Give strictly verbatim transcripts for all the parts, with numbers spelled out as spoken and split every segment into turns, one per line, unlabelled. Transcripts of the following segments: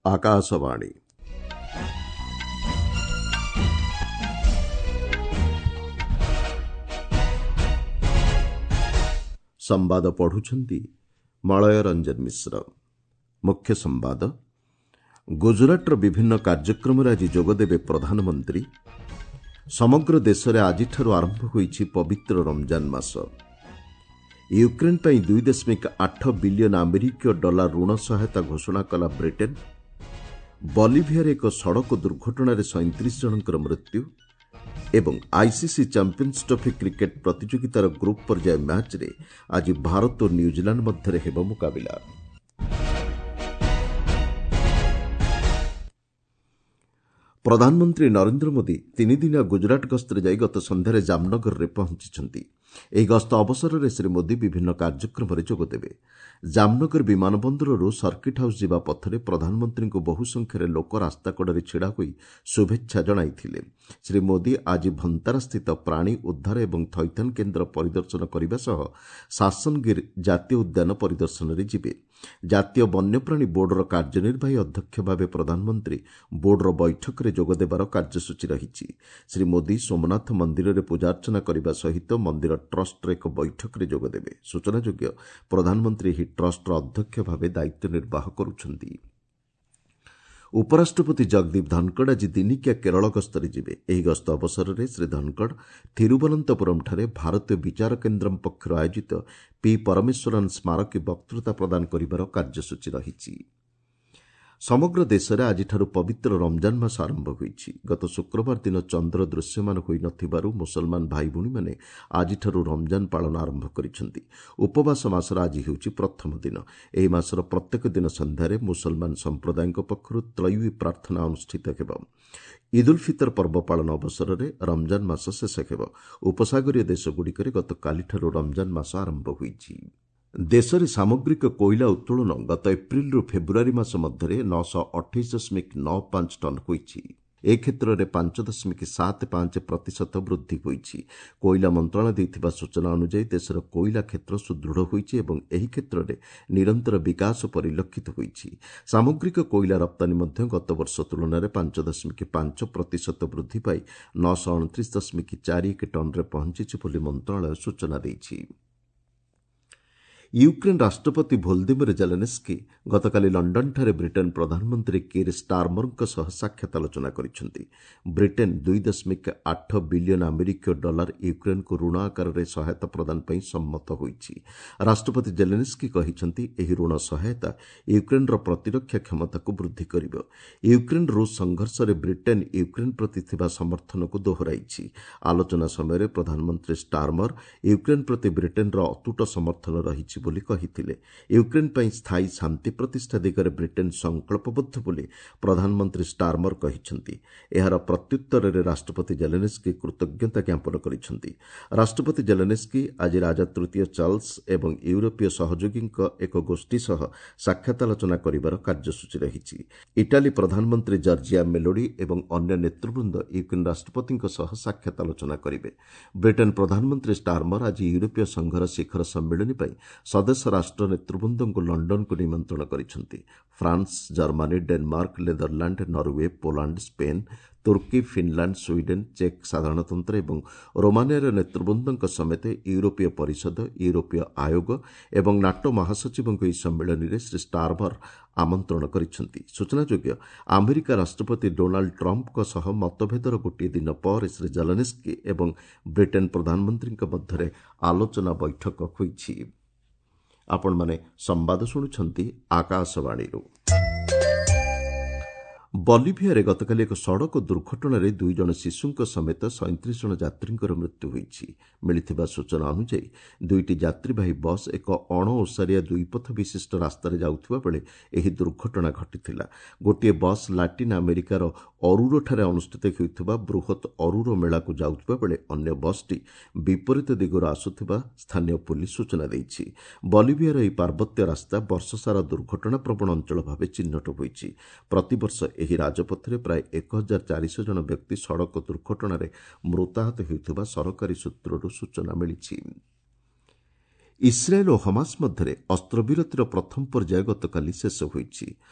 ଆକାଶବାଣୀ। ସମ୍ବାଦ ପଢୁଛନ୍ତି ମଳୟ ରଞ୍ଜନ ମିଶ୍ର। ମୁଖ୍ୟ ସମ୍ବାଦ। ଗୁଜରାଟର ବିଭିନ୍ନ କାର୍ଯ୍ୟକ୍ରମରେ ଆଜି ଯୋଗଦେବେ ପ୍ରଧାନମନ୍ତ୍ରୀ। ସମଗ୍ର ଦେଶରେ ଆଜିଠାରୁ ଆରମ୍ଭ ହୋଇଛି ପବିତ୍ର ରମଜାନ ମାସ। ୟୁକ୍ରେନ୍ ପାଇଁ ଦୁଇ ଦଶମିକ ଆଠ ବିଲିୟନ ଆମେରିକୀୟ ଡଲାର ଋଣ ସହାୟତା ଘୋଷଣା କଲା ବ୍ରିଟେନ୍। ବଲିଭିଆରେ ଏକ ସଡ଼କ ଦୁର୍ଘଟଣାରେ ସଇଁତିରିଶ ଜଣଙ୍କର ମୃତ୍ୟୁ ଏବଂ ଆଇସିସି ଚାମ୍ପିୟନ୍ସ ଟ୍ରଫି କ୍ରିକେଟ୍ ପ୍ରତିଯୋଗିତାର ଗ୍ରୁପ୍ ପର୍ଯ୍ୟାୟ ମ୍ୟାଚ୍ରେ ଆଜି ଭାରତ ଓ ନ୍ୟୁଜିଲାଣ୍ଡ ମଧ୍ୟରେ ହେବ ମୁକାବିଲା। ପ୍ରଧାନମନ୍ତ୍ରୀ ନରେନ୍ଦ୍ର ମୋଦି ତିନିଦିନିଆ ଗୁଜରାଟ ଗସ୍ତରେ ଯାଇ ଗତ ସନ୍ଧ୍ୟାରେ ଜାମନଗରରେ ପହଞ୍ଚିଛନ୍ତି। ଏହି ଗସ୍ତ ଅବସରରେ ଶ୍ରୀ ମୋଦି ବିଭିନ୍ନ କାର୍ଯ୍ୟକ୍ରମରେ ଯୋଗଦେବେ। ଜାମନଗର ବିମାନ ବନ୍ଦରରୁ ସର୍କିଟ୍ ହାଉସ୍ ଯିବା ପଥରେ ପ୍ରଧାନମନ୍ତ୍ରୀଙ୍କୁ ବହୁ ସଂଖ୍ୟାରେ ଲୋକ ରାସ୍ତାକଡ଼ରେ ଛିଡ଼ା ହୋଇ ଶୁଭେଚ୍ଛା ଜଣାଇଥିଲେ। ଶ୍ରୀ ମୋଦି ଆଜି ଭନ୍ତାରାସ୍ଥିତ ପ୍ରାଣୀ ଉଦ୍ଧାର ଏବଂ ଥଇଥାନ କେନ୍ଦ୍ର ପରିଦର୍ଶନ କରିବା ସହ ଶାସନଗିର୍ ଜାତୀୟ ଉଦ୍ୟାନ ପରିଦର୍ଶନରେ ଯିବେ। ଜାତୀୟ ବନ୍ୟପ୍ରାଣୀ ବୋର୍ଡର କାର୍ଯ୍ୟନିର୍ବାହୀ ଅଧ୍ୟକ୍ଷ ଭାବେ ପ୍ରଧାନମନ୍ତ୍ରୀ ବୋର୍ଡର ବୈଠକରେ ଯୋଗଦେବାର କାର୍ଯ୍ୟସୂଚୀ ରହିଛି। ଶ୍ରୀ ମୋଦି ସୋମନାଥ ମନ୍ଦିରରେ ପୂଜାର୍ଚ୍ଚନା କରିବା ସହିତ ମନ୍ଦିର ଟ୍ରଷ୍ଟର ଏକ ବୈଠକରେ ଯୋଗଦେବେ। ସୂଚନାଯୋଗ୍ୟ, ପ୍ରଧାନମନ୍ତ୍ରୀ ଏହି ଟ୍ରଷ୍ଟର ଅଧ୍ୟକ୍ଷ ଭାବେ ଦାୟିତ୍ୱ ନିର୍ବାହ କରୁଛନ୍ତି। ଉପରାଷ୍ଟ୍ରପତି ଜଗଦୀପ ଧନଖଡ଼ ଆଜି ଦିନିକିଆ କେରଳ ଗସ୍ତରେ ଯିବେ। ଏହି ଗସ୍ତ ଅବସରରେ ଶ୍ରୀ ଧନଖଡ଼ ଥିରୁବନନ୍ତପୁରମ୍ଠାରେ ଭାରତୀୟ ବିଚାର କେନ୍ଦ୍ରମ୍ ପକ୍ଷରୁ ଆୟୋଜିତ ପି ପରମେଶ୍ୱରନ୍ ସ୍ମାରକୀ ବକ୍ତୃତା ପ୍ରଦାନ କରିବାର କାର୍ଯ୍ୟସୂଚୀ ରହିଛି। ସମଗ୍ର ଦେଶରେ ଆଜିଠାରୁ ପବିତ୍ର ରମଜାନ ମାସ ଆରମ୍ଭ ହୋଇଛି। ଗତ ଶୁକ୍ରବାର ଦିନ ଚନ୍ଦ୍ର ଦୃଶ୍ୟମାନ ହୋଇନଥିବାରୁ ମୁସଲମାନ ଭାଇଭଉଣୀମାନେ ଆଜିଠାରୁ ରମଜାନ ପାଳନ ଆରମ୍ଭ କରିଛନ୍ତି। ଉପବାସ ମାସର ଆଜି ହେଉଛି ପ୍ରଥମ ଦିନ। ଏହି ମାସର ପ୍ରତ୍ୟେକ ଦିନ ସନ୍ଧ୍ୟାରେ ମୁସଲମାନ ସମ୍ପ୍ରଦାୟଙ୍କ ପକ୍ଷରୁ ତ୍ରୟୀ ପ୍ରାର୍ଥନା ଅନୁଷ୍ଠିତ ହେବ। ଇଦ୍ ଉଲ୍ ଫିତର ପର୍ବ ପାଳନ ଅବସରରେ ରମଜାନ ମାସ ଶେଷ ହେବ। ଉପସାଗରୀୟ ଦେଶଗୁଡ଼ିକରେ ଗତକାଲିଠାରୁ ରମଜାନ ମାସ ଆରମ୍ଭ ହୋଇଛି। ଦେଶରେ ସାମଗ୍ରିକ କୋଇଲା ଉତ୍ତୋଳନ ଗତ ଏପ୍ରିଲରୁ ଫେବୃଆରୀ ମାସ ମଧ୍ୟରେ ନଅଶହ ଅଠେଇଶ ଦଶମିକ ନଅ ପାଞ୍ଚ ଟନ୍ ହୋଇଛି। ଏ କ୍ଷେତ୍ରରେ ପାଞ୍ଚ ଦଶମିକ ସାତ ପାଞ୍ଚ ପ୍ରତିଶତ ବୃଦ୍ଧି ହୋଇଛି। କୋଇଲା ମନ୍ତ୍ରଣାଳୟ ଦେଇଥିବା ସୂଚନା ଅନୁଯାୟୀ ଦେଶର କୋଇଲା କ୍ଷେତ୍ର ସୁଦୃଢ଼ ହୋଇଛି ଏବଂ ଏହି କ୍ଷେତ୍ରରେ ନିରନ୍ତର ବିକାଶ ପରିଲକ୍ଷିତ ହୋଇଛି। ସାମଗ୍ରିକ କୋଇଲା ରପ୍ତାନୀ ମଧ୍ୟ ଗତବର୍ଷ ତୁଳନାରେ ପାଞ୍ଚ ଦଶମିକ ପାଞ୍ଚ ପ୍ରତିଶତ ବୃଦ୍ଧି ପାଇ ନଅଶହ ଅଣତିରିଶ ଦଶମିକ ଚାରି ଏକ ଟନ୍ରେ ପହଞ୍ଚିଛି ବୋଲି ମନ୍ତ୍ରଣାଳୟ ସୂଚନା ଦେଇଛି। ୟୁକ୍ରେନ୍ ରାଷ୍ଟ୍ରପତି ଭୋଲଦିମିର ଜେଲେନ୍ସ୍କି ଗତକାଲି ଲଣ୍ଡନଠାରେ ବ୍ରିଟେନ୍ ପ୍ରଧାନମନ୍ତ୍ରୀ କିର୍ ଷ୍ଟାରମରଙ୍କ ସହ ସାକ୍ଷାତ ଆଲୋଚନା କରିଛନ୍ତି। ବ୍ରିଟେନ୍ ଦୁଇ ଦଶମିକ ଆଠ ବିଲିୟନ ଆମେରିକୀୟ ଡଲାର ୟୁକ୍ରେନ୍କୁ ଋଣ ଆକାରରେ ସହାୟତା ପ୍ରଦାନ ପାଇଁ ସମ୍ମତ ହୋଇଛି। ରାଷ୍ଟ୍ରପତି ଜେଲେନ୍ସ୍କି କହିଛନ୍ତି, ଏହି ଋଣ ସହାୟତା ୟୁକ୍ରେନ୍ର ପ୍ରତିରକ୍ଷା କ୍ଷମତାକୁ ବୃଦ୍ଧି କରିବ। ୟୁକ୍ରେନ୍ ରୁଷ ସଂଘର୍ଷରେ ବ୍ରିଟେନ୍ ୟୁକ୍ରେନ୍ ପ୍ରତି ଥିବା ସମର୍ଥନକୁ ଦୋହରାଇଛି। ଆଲୋଚନା ସମୟରେ ପ୍ରଧାନମନ୍ତ୍ରୀ ଷ୍ଟାରମର ୟୁକ୍ରେନ୍ ପ୍ରତି ବ୍ରିଟେନ୍ର ଅତୁଟ ସମର୍ଥନ ରହିଛି ବୋଲି କହିଥିଲେ। ୟୁକ୍ରେନ୍ ପାଇଁ ସ୍ଥାୟୀ ଶାନ୍ତି ପ୍ରତିଷ୍ଠା ଦିଗରେ ବ୍ରିଟେନ୍ ସଂକଳ୍ପବଦ୍ଧ ବୋଲି ପ୍ରଧାନମନ୍ତ୍ରୀ ଷ୍ଟାରମର କହିଛନ୍ତି। ଏହାର ପ୍ରତ୍ୟୁତ୍ତରରେ ରାଷ୍ଟ୍ରପତି ଜେଲେନ୍ସ୍କି କୃତଜ୍ଞତା ଜ୍ଞାପନ କରିଛନ୍ତି। ରାଷ୍ଟ୍ରପତି ଜେଲେନ୍ସ୍କି ଆଜି ରାଜା ତୃତୀୟ ଚାର୍ଲସ ଏବଂ ୟୁରୋପୀୟ ସହଯୋଗୀଙ୍କ ଏକ ଗୋଷ୍ଠୀ ସହ ସାକ୍ଷାତ ଆଲୋଚନା କରିବାର କାର୍ଯ୍ୟସୂଚୀ ରହିଛି। ଇଟାଲୀ ପ୍ରଧାନମନ୍ତ୍ରୀ ଜର୍ଜିଆ ମେଲୋଡି ଏବଂ ଅନ୍ୟ ନେତୃବୃନ୍ଦ ୟୁକ୍ରେନ୍ ରାଷ୍ଟ୍ରପତିଙ୍କ ସହ ସାକ୍ଷାତ ଆଲୋଚନା କରିବେ। ବ୍ରିଟେନ୍ ପ୍ରଧାନମନ୍ତ୍ରୀ ଷ୍ଟାରମର ଆଜି ୟୁରୋପୀୟ ସଂଘର ଶିଖର ସମ୍ମିଳନୀ ପାଇଁ ସଦସ୍ୟ ରାଷ୍ଟ୍ର ନେତୃବୃନ୍ଦଙ୍କୁ ଲଣ୍ଡନକୁ ନିମନ୍ତ୍ରଣ କରିଛନ୍ତି। France, Germany, Denmark, Netherland, Norway, Poland, Spain, ତୁର୍କୀ, ଫିନ୍ଲାଣ୍ଡ, ସ୍ୱିଡେନ୍, ଚେକ୍ ସାଧାରଣତନ୍ତ୍ର ଏବଂ ରୋମାନିଆର ନେତୃବୃନ୍ଦଙ୍କ ସମେତ ୟୁରୋପୀୟ ପରିଷଦ, ୟୁରୋପୀୟ ଆୟୋଗ ଏବଂ ନାଟୋ ମହାସଚିବଙ୍କୁ ଏହି ସମ୍ମିଳନୀରେ ଶ୍ରୀ ଷ୍ଟାରମର ଆମନ୍ତ୍ରଣ କରିଛନ୍ତି। ସୂଚନାଯୋଗ୍ୟ, ଆମେରିକା ରାଷ୍ଟ୍ରପତି ଡୋନାଲ୍ଡ ଟ୍ରମ୍ପଙ୍କ ସହ ମତଭେଦର ଗୋଟିଏ ଦିନ ପରେ ଶ୍ରୀ ଜେଲେନ୍ସ୍କି ଏବଂ ବ୍ରିଟେନ୍ ପ୍ରଧାନମନ୍ତ୍ରୀଙ୍କ ମଧ୍ୟରେ ଆଲୋଚନା ବୈଠକ ହୋଇଛି। ଆପଣମାନେ ସମ୍ବାଦ ଶୁଣୁଛନ୍ତି ଆକାଶବାଣୀରୁ। ବଲିଭିଆରେ ଗତକାଲି ଏକ ସଡ଼କ ଦୁର୍ଘଟଣାରେ ଦୁଇ ଜଣ ଶିଶୁଙ୍କ ସମେତ ସଇଁତିରିଶ ଜଣ ଯାତ୍ରୀଙ୍କର ମୃତ୍ୟୁ ହୋଇଛି। ମିଳିଥିବା ସୂଚନା ଅନୁଯାୟୀ ଦୁଇଟି ଯାତ୍ରୀବାହୀ ବସ୍ ଏକ ଅଣଓସାରିଆ ଦୁଇପଥ ବିଶିଷ୍ଟ ରାସ୍ତାରେ ଯାଉଥିବା ବେଳେ ଏହି ଦୁର୍ଘଟଣା ଘଟିଥିଲା। ଗୋଟିଏ ବସ୍ ଲାଟିନ୍ ଆମେରିକାର ଅରୁରୋଠାରେ ଅନୁଷ୍ଠିତ ହେଉଥିବା ବୃହତ୍ ଅରୁରୋ ମେଳାକୁ ଯାଉଥିବା ବେଳେ ଅନ୍ୟ ବସ୍ଟି ବିପରୀତ ଦିଗରୁ ଆସୁଥିବା ସ୍ଥାନୀୟ ପୁଲିସ ସୂଚନା ଦେଇଛି। ବଲିଭିଆର ଏହି ପାର୍ବତ୍ୟ ରାସ୍ତା ବର୍ଷସାରା ଦୁର୍ଘଟଣାପ୍ରବଣ ଅଞ୍ଚଳ ଭାବେ ଚିହ୍ନଟ ହୋଇଛି। ପ୍ରତିବର୍ଷ ଏହି ରାଜପଥରେ ପ୍ରାୟ ଏକ ହଜାର ଚାରିଶହ ଜଣ ବ୍ୟକ୍ତି ସଡ଼କ ଦୁର୍ଘଟଣାରେ ମୃତାହତ ହେଉଥିବା ସରକାରୀ ସୂତ୍ରରୁ ସୂଚନା ମିଳିଛି। ଇସ୍ରାଏଲ୍ ଓ ହମାସ ମଧ୍ୟରେ ଅସ୍ତ୍ରବିରତିର ପ୍ରଥମ ପର୍ଯ୍ୟାୟ ଗତକାଲି ଶେଷ ହୋଇଛି।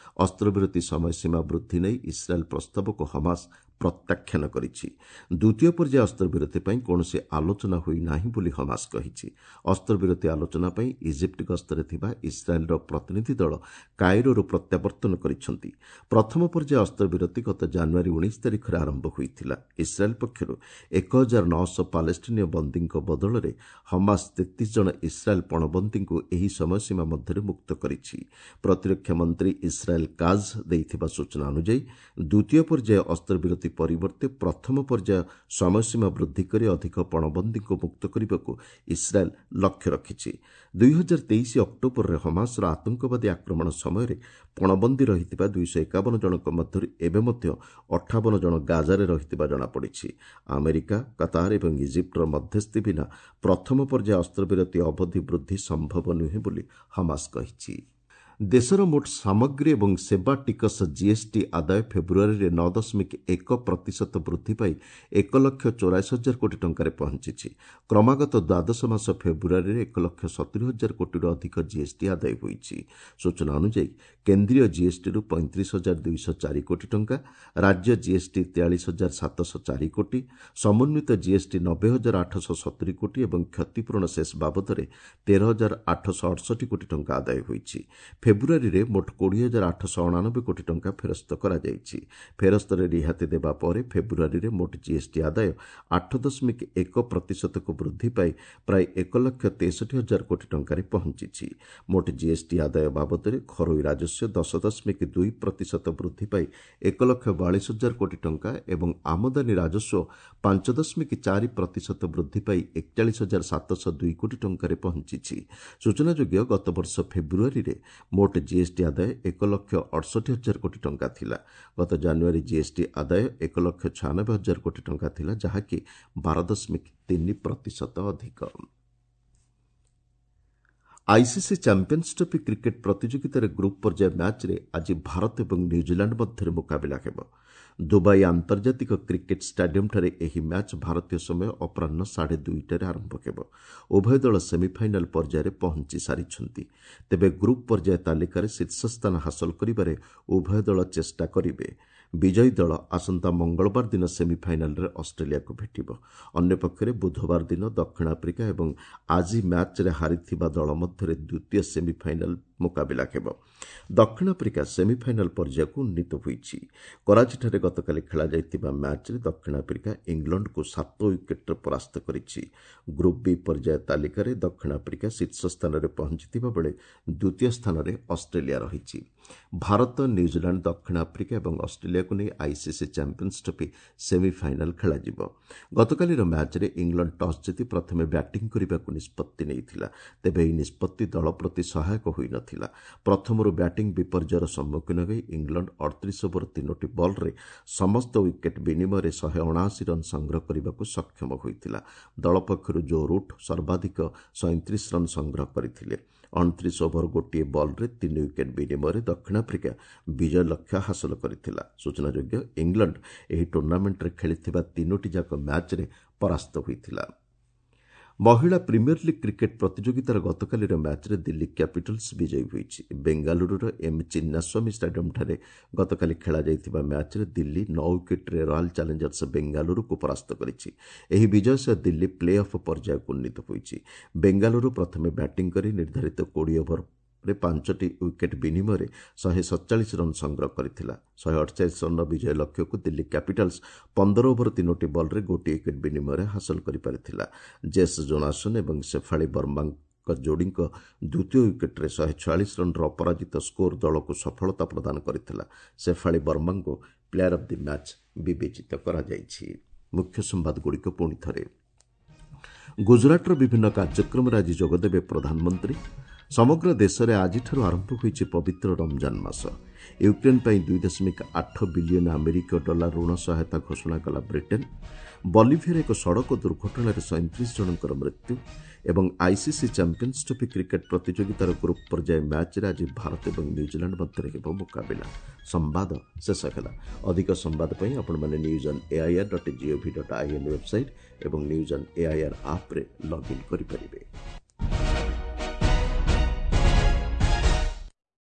ଅସ୍ତ୍ରବିରତି ସମୟସୀମା ବୃଦ୍ଧି ନେଇ ଇସ୍ରାଏଲ୍ ପ୍ରସ୍ତାବକୁ ହମାସ ପ୍ରତ୍ୟାଖ୍ୟାନ କରିଛି। ଦ୍ୱିତୀୟ ପର୍ଯ୍ୟାୟ ଅସ୍ତ୍ରବିରତି ପାଇଁ କୌଣସି ଆଲୋଚନା ହୋଇନାହିଁ ବୋଲି ହମାସ କହିଛି। ଅସ୍ତ୍ରବିରତି ଆଲୋଚନା ପାଇଁ ଇଜିପ୍ଟ ଗସ୍ତରେ ଥିବା ଇସ୍ରାଏଲ୍ର ପ୍ରତିନିଧି ଦଳ କାଇରୋରୁ ପ୍ରତ୍ୟାବର୍ତ୍ତନ କରିଛନ୍ତି। ପ୍ରଥମ ପର୍ଯ୍ୟାୟ ଅସ୍ତ୍ରବିରତି ଗତ ଜାନୁଆରୀ ଉଣେଇଶ ତାରିଖରେ ଆରମ୍ଭ ହୋଇଥିଲା। ଇସ୍ରାଏଲ୍ ପକ୍ଷରୁ ଏକ ହଜାର ନଅଶହ ପାଲେଷ୍ଟିନୀୟ ବନ୍ଦୀଙ୍କ ବଦଳରେ ହମାସ ତେତିଶ ଜଣ ଇସ୍ରାଏଲ୍ ପଣବନ୍ଦୀଙ୍କୁ ଏହି ସମୟସୀମା ମଧ୍ୟରେ ମୁକ୍ତ କରିଛି। ପ୍ରତିରକ୍ଷା ମନ୍ତ୍ରୀ ଇସ୍ରାଏଲ୍ କାଜ୍ ଦେଇଥିବା ସୂଚନା ଅନୁଯାୟୀ ଦ୍ୱିତୀୟ ପର୍ଯ୍ୟାୟ ଅସ୍ତ୍ରବିରତି ପରିବର୍ତ୍ତେ ପ୍ରଥମ ପର୍ଯ୍ୟାୟ ସମୟସୀମା ବୃଦ୍ଧି କରି ଅଧିକ ପଣବନ୍ଦୀଙ୍କୁ ମୁକ୍ତ କରିବାକୁ ଇସ୍ରାଏଲ୍ ଲକ୍ଷ୍ୟ ରଖିଛି। ଦୁଇହଜାର ତେଇଶ ଅକ୍ଟୋବରରେ ହମାସର ଆତଙ୍କବାଦୀ ଆକ୍ରମଣ ସମୟରେ ପଣବନ୍ଦୀ ରହିଥିବା ଦୁଇଶହ ଏକାବନ ଜଣଙ୍କ ମଧ୍ୟରୁ ଏବେ ମଧ୍ୟ ଅଠାବନ ଜଣ ଗାଜାରେ ରହିଥିବା ଜଣାପଡ଼ିଛି। ଆମେରିକା, କତାର ଏବଂ ଇଜିପ୍ଟର ମଧ୍ୟସ୍ଥି ବିନା ପ୍ରଥମ ପର୍ଯ୍ୟାୟ ଅସ୍ତ୍ରବିରତି ଅବଧି ବୃଦ୍ଧି ସମ୍ଭବ ନୁହେଁ ବୋଲି ହମାସ କହିଛି। ଦେଶର ମୋଟ ସାମଗ୍ରୀ ଏବଂ ସେବା ଟିକସ ଜିଏସ୍ଟି ଆଦାୟ ଫେବୃଆରୀରେ ନଅ ଦଶମିକ ଏକ ପ୍ରତିଶତ ବୃଦ୍ଧି ପାଇ ଏକ ଲକ୍ଷ ଚଉରାଅଶୀ ହଜାର କୋଟି ଟଙ୍କାରେ ପହଞ୍ଚିଛି। କ୍ରମାଗତ ଦ୍ୱାଦଶ ମାସ ଫେବୃଆରୀରେ ଏକ ଲକ୍ଷ ସତୁରି ହଜାର କୋଟିରୁ ଅଧିକ ଜିଏସ୍ଟି ଆଦାୟ ହୋଇଛି। ସୂଚନା ଅନୁଯାୟୀ କେନ୍ଦ୍ରୀୟ ଜିଏସ୍ଟିରୁ ପଇଁତିରିଶ ହଜାର ଦୁଇଶହ ଚାରି କୋଟି ଟଙ୍କା, ରାଜ୍ୟ ଜିଏସ୍ଟି ତେୟାଳିଶ ହଜାର ସାତଶହ ଚାରି କୋଟି, ସମନ୍ୱିତ ଜିଏସ୍ଟି ନବେ ହଜାର ଆଠଶହ ସତୁରି କୋଟି ଏବଂ କ୍ଷତିପୂରଣ ସେସ୍ ବାବଦରେ ତେର ହଜାର ଆଠଶହ ଅଠଷଠି କୋଟି ଟଙ୍କା ଆଦାୟ ହୋଇଛି। ଫେବୃଆରୀରେ ମୋଟ କୋଡ଼ିଏ ହଜାର ଆଠଶହ ଅଣାନବେ କୋଟି ଟଙ୍କା ଫେରସ୍ତ କରାଯାଇଛି। ଫେରସ୍ତରେ ରିହାତି ଦେବା ପରେ ଫେବୃଆରୀରେ ମୋଟ ଜିଏସ୍ଟି ଆଦାୟ ଆଠ ଦଶମିକ ଏକ ପ୍ରତିଶତକୁ ବୃଦ୍ଧି ପାଇ ପ୍ରାୟ ଏକ ଲକ୍ଷ ତେଷଠି ହଜାର କୋଟି ଟଙ୍କାରେ ପହଞ୍ଚିଛି। ମୋଟ ଜିଏସ୍ଟି ଆଦାୟ ବାବଦରେ ଘରୋଇ ରାଜସ୍ୱ ଦଶ ଦଶମିକ ଦୁଇ ପ୍ରତିଶତ ବୃଦ୍ଧି ପାଇ ଏକ ଲକ୍ଷ ବୟାଳିଶ ହଜାର କୋଟି ଟଙ୍କା ଏବଂ ଆମଦାନୀ ରାଜସ୍ୱ ପାଞ୍ଚ ଦଶମିକ ଚାରି ପ୍ରତିଶତ ବୃଦ୍ଧି ପାଇ ଏକଚାଳିଶ ହଜାର ସାତଶହ ଦୁଇ କୋଟି ଟଙ୍କାରେ ପହଞ୍ଚିଛି। ସୂଚନାଯୋଗ୍ୟ, ଗତବର୍ଷ ଫେବୃଆରୀରେ ମୋଟ ଜିଏସ୍ଟି ଆଦାୟ ଏକ ଲକ୍ଷ ଅଠଷଠି ହଜାର କୋଟି ଟଙ୍କା ଥିଲା। ଗତ ଜାନୁଆରୀ ଜିଏସ୍ଟି ଆଦାୟ ଏକ ଲକ୍ଷ ଛୟାନବେ ହଜାର କୋଟି ଟଙ୍କା ଥିଲା, ଯାହାକି ବାର ଦଶମିକ ତିନି ପ୍ରତିଶତ ଅଧିକ। ଆଇସିସି ଚାମ୍ପିୟନ୍ସ ଟ୍ରଫି କ୍ରିକେଟ୍ ପ୍ରତିଯୋଗିତାରେ ଗ୍ରୁପ୍ ପର୍ଯ୍ୟାୟ ମ୍ୟାଚ୍ରେ ଆଜି ଭାରତ ଏବଂ ନ୍ୟୁଜିଲାଣ୍ଡ ମଧ୍ୟରେ ମୁକାବିଲା ହେବ। ଦୁବାଇ ଆନ୍ତର୍ଜାତିକ କ୍ରିକେଟ୍ ଷ୍ଟାଡିୟମ୍ଠାରେ ଏହି ମ୍ୟାଚ୍ ଭାରତୀୟ ସମୟ ଅପରାହ୍ନ ସାଢ଼େ ଦୁଇଟାରେ ଆରମ୍ଭ ହେବ। ଉଭୟ ଦଳ ସେମିଫାଇନାଲ୍ ପର୍ଯ୍ୟାୟରେ ପହଞ୍ଚି ସାରିଛନ୍ତି। ତେବେ ଗ୍ରୁପ୍ ପର୍ଯ୍ୟାୟ ତାଲିକାରେ ଶୀର୍ଷ ସ୍ଥାନ ହାସଲ କରିବାରେ ଉଭୟ ଦଳ ଚେଷ୍ଟା କରିବେ। ବିଜୟୀ ଦଳ ଆସନ୍ତା ମଙ୍ଗଳବାର ଦିନ ସେମିଫାଇନାଲ୍ରେ ଅଷ୍ଟ୍ରେଲିଆକୁ ଭେଟିବ। ଅନ୍ୟପକ୍ଷରେ ବୁଧବାର ଦିନ ଦକ୍ଷିଣ ଆଫ୍ରିକା ଏବଂ ଆଜି ମ୍ୟାଚ୍ରେ ହାରିଥିବା ଦଳ ମଧ୍ୟରେ ଦ୍ୱିତୀୟ ସେମିଫାଇନାଲ୍ ମୁକାବିଲା ହେବ। ଦକ୍ଷିଣ ଆଫ୍ରିକା ସେମିଫାଇନାଲ୍ ପର୍ଯ୍ୟାୟକୁ ଉନ୍ନୀତ ହୋଇଛି। କରାଚିଠାରେ ଗତକାଲି ଖେଳାଯାଇଥିବା ମ୍ୟାଚ୍ରେ ଦକ୍ଷିଣ ଆଫ୍ରିକା ଇଂଲଣ୍ଡକୁ ସାତ ୱିକେଟ୍ରେ ପରାସ୍ତ କରିଛି। ଗ୍ରୁପ୍ ବି ପର୍ଯ୍ୟାୟ ତାଲିକାରେ ଦକ୍ଷିଣ ଆଫ୍ରିକା ଶୀର୍ଷ ସ୍ଥାନରେ ପହଞ୍ଚିଥିବା ବେଳେ ଦ୍ୱିତୀୟ ସ୍ଥାନରେ ଅଷ୍ଟ୍ରେଲିଆ ରହିଛି। ଭାରତ, ନ୍ୟୁଜିଲାଣ୍ଡ, ଦକ୍ଷିଣ ଆଫ୍ରିକା ଏବଂ ଅଷ୍ଟ୍ରେଲିଆକୁ ନେଇ ଆଇସିସି ଚାମ୍ପିୟନ୍ସ ଟ୍ରଫି ସେମିଫାଇନାଲ୍ ଖେଳାଯିବ। ଗତକାଲିର ମ୍ୟାଚ୍ରେ ଇଂଲଣ୍ଡ ଟସ୍ ଜିତି ପ୍ରଥମେ ବ୍ୟାଟିଂ କରିବାକୁ ନିଷ୍ପତ୍ତି ନେଇଥିଲା। ତେବେ ଏହି ନିଷ୍ପତ୍ତି ଦଳ ପ୍ରତି ସହାୟକ ହୋଇନଥିଲା। ପ୍ରଥମରୁ ବ୍ୟାଟିଂ ବିପର୍ଯ୍ୟୟର ସମ୍ମୁଖୀନ ହୋଇ ଇଂଲଣ୍ଡ ଅଠତିରିଶ ଓଭର ତିନୋଟି ବଲ୍ରେ ସମସ୍ତ ୱିକେଟ୍ ବିନିମୟରେ ଶହେ ଅଣାଅଶୀ ରନ୍ ସଂଗ୍ରହ କରିବାକୁ ସକ୍ଷମ ହୋଇଥିଲା। ଦଳ ପକ୍ଷରୁ ଜୋ ରୁଟ୍ ସର୍ବାଧିକ ସଇଁତିରିଶ ରନ୍ ସଂଗ୍ରହ କରିଥିଲେ। ଅଣତିରିଶ ଓଭର ଗୋଟିଏ ବଲ୍ରେ ତିନି ୱିକେଟ୍ ବିନିମୟରେ ଦକ୍ଷିଣ ଆଫ୍ରିକା ବିଜୟ ଲକ୍ଷ୍ୟ ହାସଲ କରିଥିଲା। ସୂଚନାଯୋଗ୍ୟ, ଇଂଲଣ୍ଡ ଏହି ଟୁର୍ଣ୍ଣାମେଣ୍ଟରେ ଖେଳିଥିବା ତିନୋଟି ଯାକ ମ୍ୟାଚ୍ରେ ପରାସ୍ତ ହୋଇଥିଲା। ମହିଳା ପ୍ରିମିୟର ଲିଗ୍ କ୍ରିକେଟ୍ ପ୍ରତିଯୋଗିତାର ଗତକାଲିର ମ୍ୟାଚ୍ରେ ଦିଲ୍ଲୀ କ୍ୟାପିଟାଲ୍ସ ବିଜୟୀ ହୋଇଛି। ବେଙ୍ଗାଲୁରୁର ଏମ୍ ଚିନ୍ନାସ୍ୱାମୀ ଷ୍ଟାଡିୟମ୍ଠାରେ ଗତକାଲି ଖେଳାଯାଇଥିବା ମ୍ୟାଚ୍ରେ ଦିଲ୍ଲୀ ନଅ ୱିକେଟ୍ରେ ରୟାଲ୍ ଚ୍ୟାଲେଞ୍ଜର୍ସ ବେଙ୍ଗାଲୁରୁକୁ ପରାସ୍ତ କରିଛି। ଏହି ବିଜୟ ସହ ଦିଲ୍ଲୀ ପ୍ଲେ ଅଫ୍ ପର୍ଯ୍ୟାୟକୁ ଉନ୍ନୀତ ହୋଇଛି। ବେଙ୍ଗାଲୁରୁ ପ୍ରଥମେ ବ୍ୟାଟିଂ କରି ନିର୍ଦ୍ଧାରିତ କୋଡ଼ିଏ ଓଭରରେ ପାଞ୍ଚଟି ୱିକେଟ୍ ବିନିମୟରେ ଶହେ ସତଚାଳିଶ ରନ୍ ସଂଗ୍ରହ କରିଥିଲା। ଶହେ ଅଠଚାଳିଶ ରନ୍ର ବିଜୟ ଲକ୍ଷ୍ୟକୁ ଦିଲ୍ଲୀ କ୍ୟାପିଟାଲ୍ସ ପନ୍ଦର ଓଭର ତିନୋଟି ବଲ୍ରେ ଗୋଟିଏ ୱିକେଟ୍ ବିନିମୟରେ ହାସଲ କରିପାରିଥିଲା। ଜେସ୍ ଜୋନାସନ୍ ଏବଂ ଶେଫାଳି ବର୍ମାଙ୍କ ଯୋଡ଼ିଙ୍କ ଦ୍ୱିତୀୟ ୱିକେଟ୍ରେ ଶହେ ଛୟାଳିଶ ରନ୍ର ଅପରାଜିତ ସ୍କୋର ଦଳକୁ ସଫଳତା ପ୍ରଦାନ କରିଥିଲା। ଶେଫାଳି ବର୍ମାଙ୍କୁ ପ୍ଲେୟାର ଅଫ୍ the match ବିବେଚିତ କରାଯାଇଛି। ମୁଖ୍ୟ ସମ୍ବାଦଗୁଡ଼ିକ ପୁଣି ଥରେ। ଗୁଜରାଟର ବିଭିନ୍ନ କାର୍ଯ୍ୟକ୍ରମରେ ଆଜି ଯୋଗଦେବେ ପ୍ରଧାନମନ୍ତ୍ରୀ। ସମଗ୍ର ଦେଶରେ ଆଜିଠାରୁ ଆରମ୍ଭ ହୋଇଛି ପବିତ୍ର ରମଜାନ ମାସ। ୟୁକ୍ରେନ୍ ପାଇଁ ଦୁଇ ଦଶମିକ ଆଠ ବିଲିୟନ ଆମେରିକୀୟ ଡଲାର ଋଣ ସହାୟତା ଘୋଷଣା କଲା ବ୍ରିଟେନ୍। ବଲିଭିଆରେ ଏକ ସଡ଼କ ଦୁର୍ଘଟଣାରେ ସଇଁତିରିଶ ଜଣଙ୍କର ମୃତ୍ୟୁ ଏବଂ ଆଇସିସି ଚାମ୍ପିୟନ୍ସ ଟ୍ରଫି କ୍ରିକେଟ୍ ପ୍ରତିଯୋଗିତାର ଗ୍ରୁପ୍ ପର୍ଯ୍ୟାୟ ମ୍ୟାଚ୍ରେ ଆଜି ଭାରତ ଏବଂ ନ୍ୟୁଜିଲାଣ୍ଡ ମଧ୍ୟରେ ହେବ ମୁକାବିଲା। ସମ୍ବାଦ ଶେଷ ହେଲା। ଅଧିକ ସମ୍ବାଦ ପାଇଁ ଆପଣମାନେ news on AIR dot gov dot in website ଏବଂ ନ୍ୟୁଜ୍ ଅନ୍ ଏଆଇଆର୍ ଆପ୍ରେ ଲଗ୍ଇନ୍ କରିପାରିବେ।